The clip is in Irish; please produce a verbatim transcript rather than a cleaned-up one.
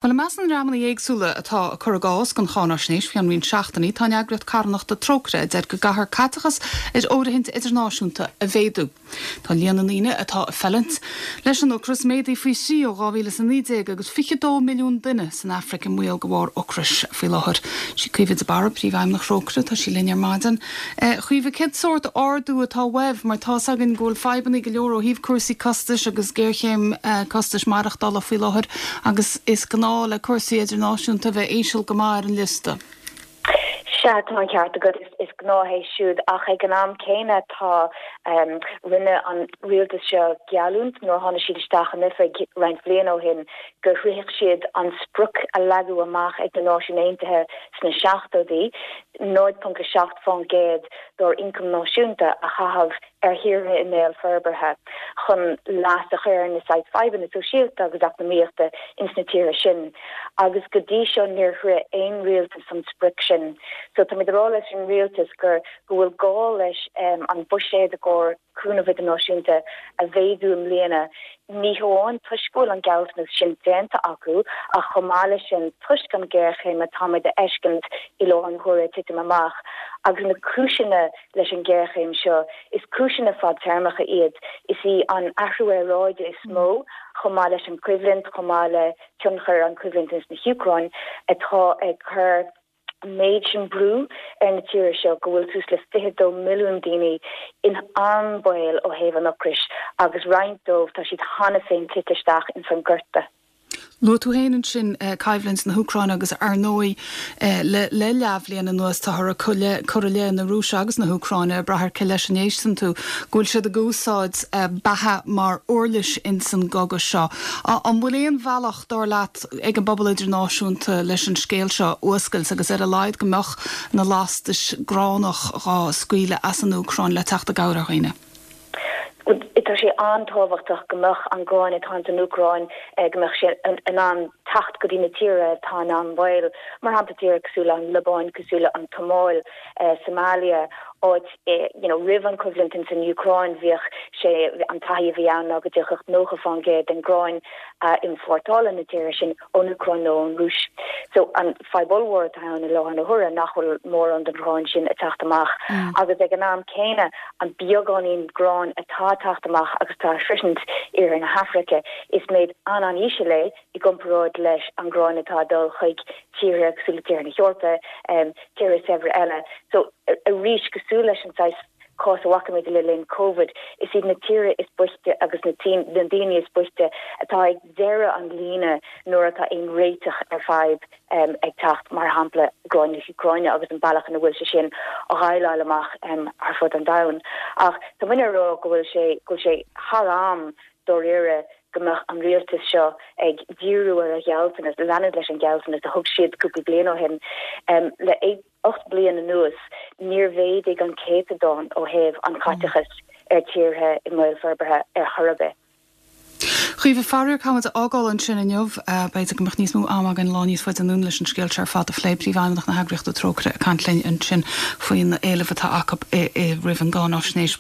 Bhuel, i measc na ndreamanna éagsúla atá ag cur a gcás don cháinaisnéis faoi cheann roinnt seachtainí, tá an eagraíocht carthanachta Trócaire a deir go gcaithfear caiteachas ar fhóirithint idirnáisiúnta a mhéadú. Tá líon na ndaoine atá ag fulaingt leis an ocras méadaithe faoi thrí ó dhá mhíle is a naoi déag agus fiche dó milliún duine san Afraic i mbaol de bharr ocrais faoi láthair. Sí Caoimhe de Barra, Príomhfheidhmeannach Thrócaire, tá sí linn ar maidin. Caoimhe, cén sórt ardú atá uaibh mar tá's againn go bhfuil fadhbanna go leor ó thaobh cúrsaí costais agus géarchéim costais maireachtála faoi láthair agus is gnáth le cúrsaí idirnáisiúnta bheith íseal go maith ar an liosta. Sea, tá an ceart agat, is gnáth é siúd, ach ag an am céanna tá rinne an rialtas seo geallúint nuair a tháinig siad isteach in oifig roinnt bliain ó shin go shroichfeadh siad an sprioc a leagadh amach ag na Náisiúin Aontaithe sna seachtóidí, náid ponc a seacht faoin gcéad dár ioncam náisiúnta a chaitheamh ar thíortha i mbéal forbartha chun leas a chur ar na saghas fadhbanna sóisialta agus eacnamaíochta ins na tíortha sin. Agus go dtí seo níor shroich aon rialtas an sprioc sin. So táimid ag rá leis an rialtas gur go bhfuil gá leis an buiséad i gcomhair cúnamh idirnáisiúnta a mhéadú i mbliana, ní hamháin toisc go bhfuil an gealltanas sin déanta acu ach chomh maith leis sin toisc an ghéarchéim atáimid a fheiscint i láthair na huaire ag titim amach. Agus na cúiseanna leis an ghéarchéim seo, is cúiseanna fadtéarmacha iad. Is í an athrú aeráide is mó, chomh maith leis an choimhlint, chomh maith le tionchar an choimhlint ins na hÚcráin, atá ag cur an méid sin brú ar na tíortha seo go bhfuil suas le fiche dó milliún daoine in an-bhaol ó thaobh an ocrais agus roinnt dóibh tá siad cheana féin tite isteach ins an gorta. Luaigh tú féin ansin coimhlint na hÚcráine agus ar ndóigh le leathbhliain anuas táthar ag cur i leith na Rúise agus na hÚcráine, ag brath ar cé leis a n-éisteann tú, go bhfuil siad ag úsáid beatha mar uirlis ins an gcogadh seo. An bhfuil aon bhealach, dar leat, ag an bpobal idirnáisiúnta leis an scéal seo a fhuascailt agus ar a laghad go mbeadh na lastais gránach dhá scaoileadh as an Úcráin le teacht i gcabhair ar dhaoine? Tá sé an-tábhachtach go mbeadh an grán atá ins an Úcráin, go mbeadh sé in ann teacht go dtí na tíortha atá in an-bhaol, mar shampla tíortha cosúil le an Liobáin, cosúil le an tSomáil, Somalia, áit you know roimh an choimhlint ins an Úcráin bhíodh sé an taithí a bhí ann ná go dtiocfadh nócha fán gcéad den ghrán a iompórtálann na tíortha sin ón Úcráin nó ón Rúis. So an fadhb ollmhór atá ann i láthair na huaire nach bhfuil mórán den ghrán sin ag teacht amach agus ag an am céanna an beagáinín gráin atá ag teacht amach agus atá ag sroichint iarthar na hAfraice is méid an-an-íseal é i gcomparáid leis an ghrán atá ag dul chuig tíortha cosúil le tíortha na hEorpa, tíortha saibhre eile. So arís cosúil leis an saghas cás a bhfaca muid le linn Covid, is iad na tíortha is boichte agus na na daoine is boichte atá ag deireadh an líne nuair atá aon réiteach ar fadhb ag teacht, mar shampla grán na hÚcráine agus an bealach ina bhfuil sé sin á dhéileáil amach ar fud an domhain. Ach tá muidne ag rá go bhfuil sé go bhfuil sé thar am dáiríre go mbeadh an rialtas seo ag díriú ar a ghealltanas, leanúint leis an ghealltanas a thug siad cúpla bliain ó shin. Le ocht bliain anuas, níor mhéadaigh an céatadán ó thaobh an chaiteachais ar tíortha i mbaol forbartha ar chor ar bith. Caoimhe, faraor caithfimid a fhágáil ansin inniu. B'fhéidir go mbeadh níos mó ama againn lá níos faide anonn leis an scéal seo ar fad a phlé. Príomhfheidhmeannach na heagraíochta Trócaire ag caint linn ansin faoin éileamh atá acu roimh an gcáinaisnéis.